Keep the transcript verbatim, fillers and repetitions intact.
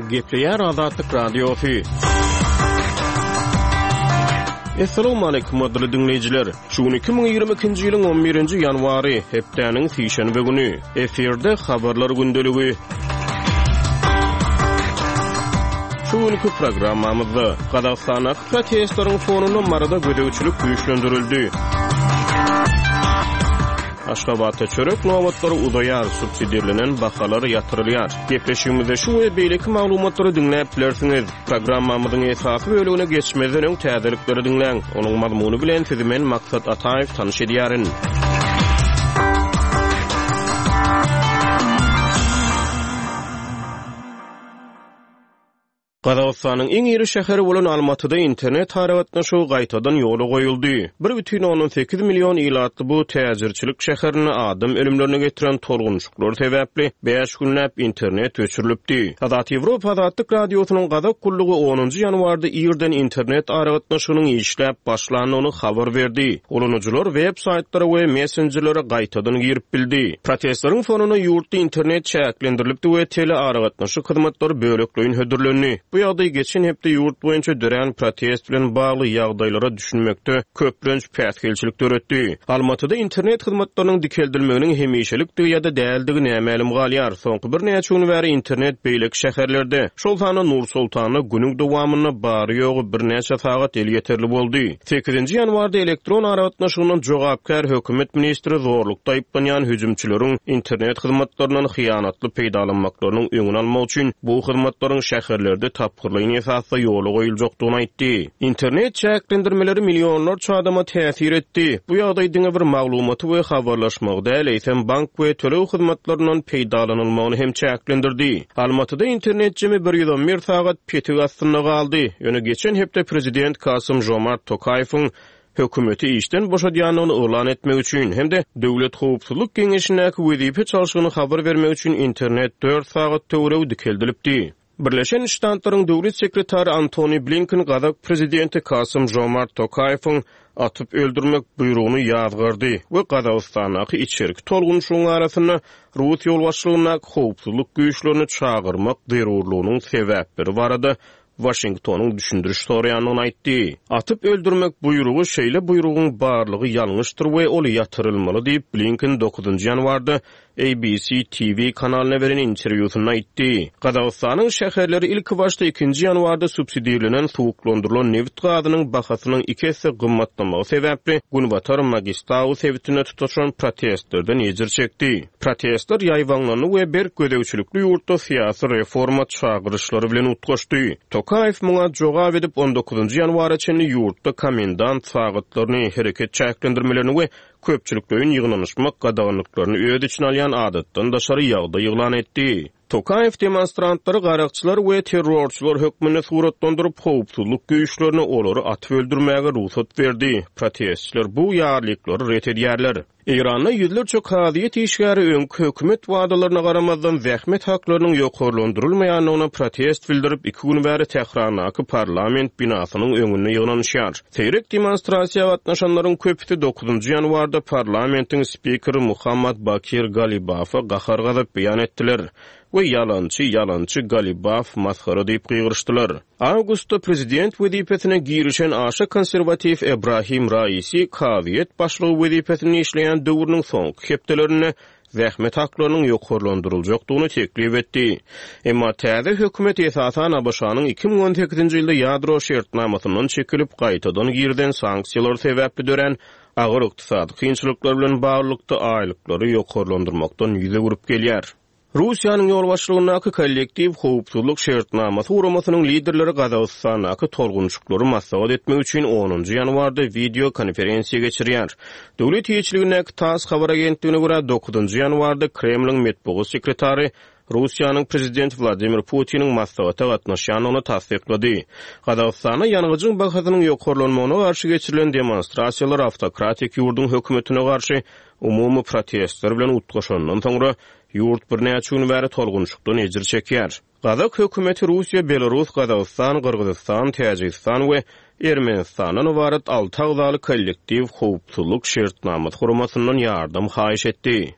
Gepleýär Azatlyk Radiosy. Assalamualaikum gadyrly diňleýjiler. Şu gün iki müň ýigrimi ikinji ýylyň on birinji ýanwary, hepdäniň sişenbe güni. Efirde habarlar gündeligi. Şu günkü programmamyzda Gazagystandaky protestleriň fonunda Maryda gözegçilik güýçlendirildi. Aşgabatda çörek nobatlary uzaýar, subsidirlenen bahalar ýatyrylýar. Gepleşigimizde şu we beýleki maglumatlary diňläp bilersiňiz. Programmamyzyň esasy bölümine geçmezden öň täzelikleri diňläň. Onuň mazmuny bilen sizi men Maksat Ataýew tanyş edýärin. Gazagystanyň iň iri şäheri bolan Almatyda internet aragatnaşygy gaýtadan ýola goýuldy. Bir bütin ondan sekiz million ilatly bu täjirçilik şäherinde adam ölümlerine getiren tolgunçuklar sebäpli bäş günläp internet öçürilipdi. Azat Ýewropa Azatlyk Radiosynyň Gazak gullugy onunjy ýanwarda irden internet aragatnaşygynyň işläp başlandygyny habar berdi. Ulanyjylar web saýtlara we messenjerlere gaýtadan girip bildi. Protestleriň fonunda ýurtda internet çäklendirilipdi we tele aragatnaşyk hyzmatlary bölekleýin hödürlendi. Bu ýagdaý geçen hepde ýurt boýunça dörän protest bilen bagly ýagdaýlara düşünmekde köplenç päsgelçilik döretdi. Almatyda internet hyzmatlarynyň dikeldilmeginiň hemişelikdigi ýa-da däldigi nämälim galýar. Soňky birnäçe gün bäri internet beýleki şäherlerde, şol sanda Nur Sultanda günüň dowamynda bary ýogy birnäçe sagat elýeterli boldy. Sekizinji ýanwarda elektron aragatnaşygyndan jogapkär hökümet ministri zorlukda aýyplanýan hüjümçileriň internet hyzmatlaryndan hyýanatly peýdalanmaklarynyň öňüni almak üçin bu hyzmatlaryň şäherlerde tapgyrlaýyn esasda ýola goýuljakdygyny aýtdy. Internet çäklendirmeleri millionlarça adama täsir etdi. Bu ýagdaý diňe bir maglumaty we habarlaşmagy däl, eýsem bank we töleg hyzmatlaryndan peýdalanylmagyny hem çäklendirdi. Almatyda internet jemi bir ýüz on bir sagat petik astynda galdy. Ýöne geçen hepde prezident Kasym Jomart Tokaýewiň hökümeti işden boşadýandygyny yglan etmek üçin hem-de Döwlet Howpsuzlyk Geňeşindäki wezipe çalşygyny habar bermek üçin internet dört sagat töweregi dikeldilipdi. Birleşen Ştatlaryň döwlet sekretary Antony Blinken Gazak prezidenti Kasym Jomart Tokaýewiň atyp öldürmek buýrugyny ýazgardy we Gazagystandaky içerki tolgunşygyň arasynda Rus ýolbaşçylygyndaky howpsuzlyk güýçlerini çagyrmak zerurlygynyň sebäpleri barada Washingtonyň düşündiriş soraýandygyny aýtdy. Atyp öldürmek buýrugy şeýle buýrugyň barlygy ýalňyşdyr we ol ýatyrylmaly diýip Blinken dokuzynjy ýanwarda A B C T V kanalyna beren interwýusynda aýtdy. Gazagystanyň şäherleri ilki başda ikinji ýanwarda subsidirlenen suwuklandyrylan neft gazynyň bahasynyň iki esse gymmatlamagy sebäpli Günbatar Magistau sebitinde tutaşan protestlerden ejir çekdi. Protestler ýaýbaňlandy we berk gözegçilikli ýurtda syýasy reforma çagyryşlary bilen utgaşdy. Tokaýew muňa jogap edip on dokuzynjy ýanwara çenli ýurtda komendant sagatlaryny, hereket çäklendirmelerini we köpçülikleýin ýygnanyşmak gadaganlyklaryny öz içine alýan adatdan daşary ýagdaý yglan etdi. Tokaýew demonstrantlary garakçylar we terrorçylar hökmünde suratlandyryp, howpsuzlyk güýçlerine olary atyp öldürmäge rugsat berdi. Protestçiler bu ýarlyklary ret edýärler. Eýranda ýüzlerçe kazyýet işgäri öňki hökümet wadalaryna garamazdan zähmet haklarynyň ýokarlandyrylmaýandygyna protest bildirip, iki gün bäri Tährandaky parlament binasynyň öňünde ýygnanyşýar. Seýrek demonstrasiýa gatnaşanlaryň köpüsi dokuzynjy ýanwarda parlamentiň spikeri Muhammad Bakir Galibafa gahar-gazap beýan etdiler we ýalançy, ýalançy Galibaf masgara diýip gygyryşdylar. Awgustda prezident wezipesine girişen aşa konserwativ Ebrahim Raisi kazyýet başlygy wezipesini işleýän döwrüniň soňky hepdelerinde zähmet haklarynyň ýokarlandyryljakdygyny teklip etdi. Emma täze hökümet esasan A B Ş-nyň iki müň on sekizinji ýylda ýadro şertnamasyndan çekilip gaýtadan girden sanksiýalar sebäpli dörän agyr ykdysady kynçylyklar bilen baglylykda aýlyklary ýokarlandyrmakdan ýüz öwrüp gelýär. Russiýanyň ýolbaşçylygyndaky kollektiw howpsuzlyk şertnamasy guramasynyň liderleri Gazagystandaky tolgunçuklary maslahat etmek üçin onunjy ýanwarda video konferensiýa geçirýär. Döwlet eýeçiligindäki TASS habar agentligine görä dokuzynjy ýanwarda Kremliň metbugat sekretary Russiýanyň prezidenti Wladimir Putiniň maslahata gatnaşýandygyny tassyklady. Gazagystanda ýangyjyň bahasynyň ýokarlanmagyna garşy geçirilen demonstrasiýalar awtokratik ýurduň hökümetine garşy umumy protestler bilen utgaşandan soňra ýurt birnäçe gün bäri tolgunçukdan ejir çekýär. Gazak hökümeti Russiýa, Belarus, Gazagystan, Gyrgyzystan, Täjigistan we Ermenistandan ybarat alty agzaly kollektiw howpsuzlyk şertnamasy guramasyndan ýardam haýyş etdi.